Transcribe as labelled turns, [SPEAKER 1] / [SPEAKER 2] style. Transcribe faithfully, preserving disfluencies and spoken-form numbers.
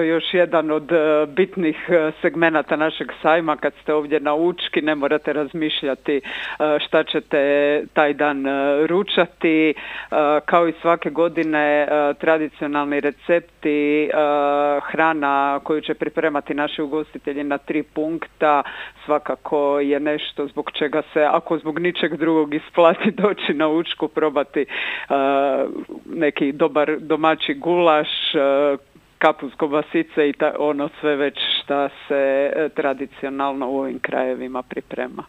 [SPEAKER 1] eto još jedan od uh, bitnih uh, segmenata našeg sajma. Kad ste ovdje na Učki, ne morate razmišljati uh, šta ćete taj dan uh, ručati. Uh, kao i svake godine uh, tradicionalni recepti, uh, hrana koju će pripremati naši ugostitelji na tri punkta svakako je nešto zbog čega se, ako zbog ničeg drugog, isplati doći na Učku, probati uh, neki dobar domaći gulaš, uh, kapus kobasice i ta, ono sve već šta se uh, tradicionalno u ovim krajevima priprema.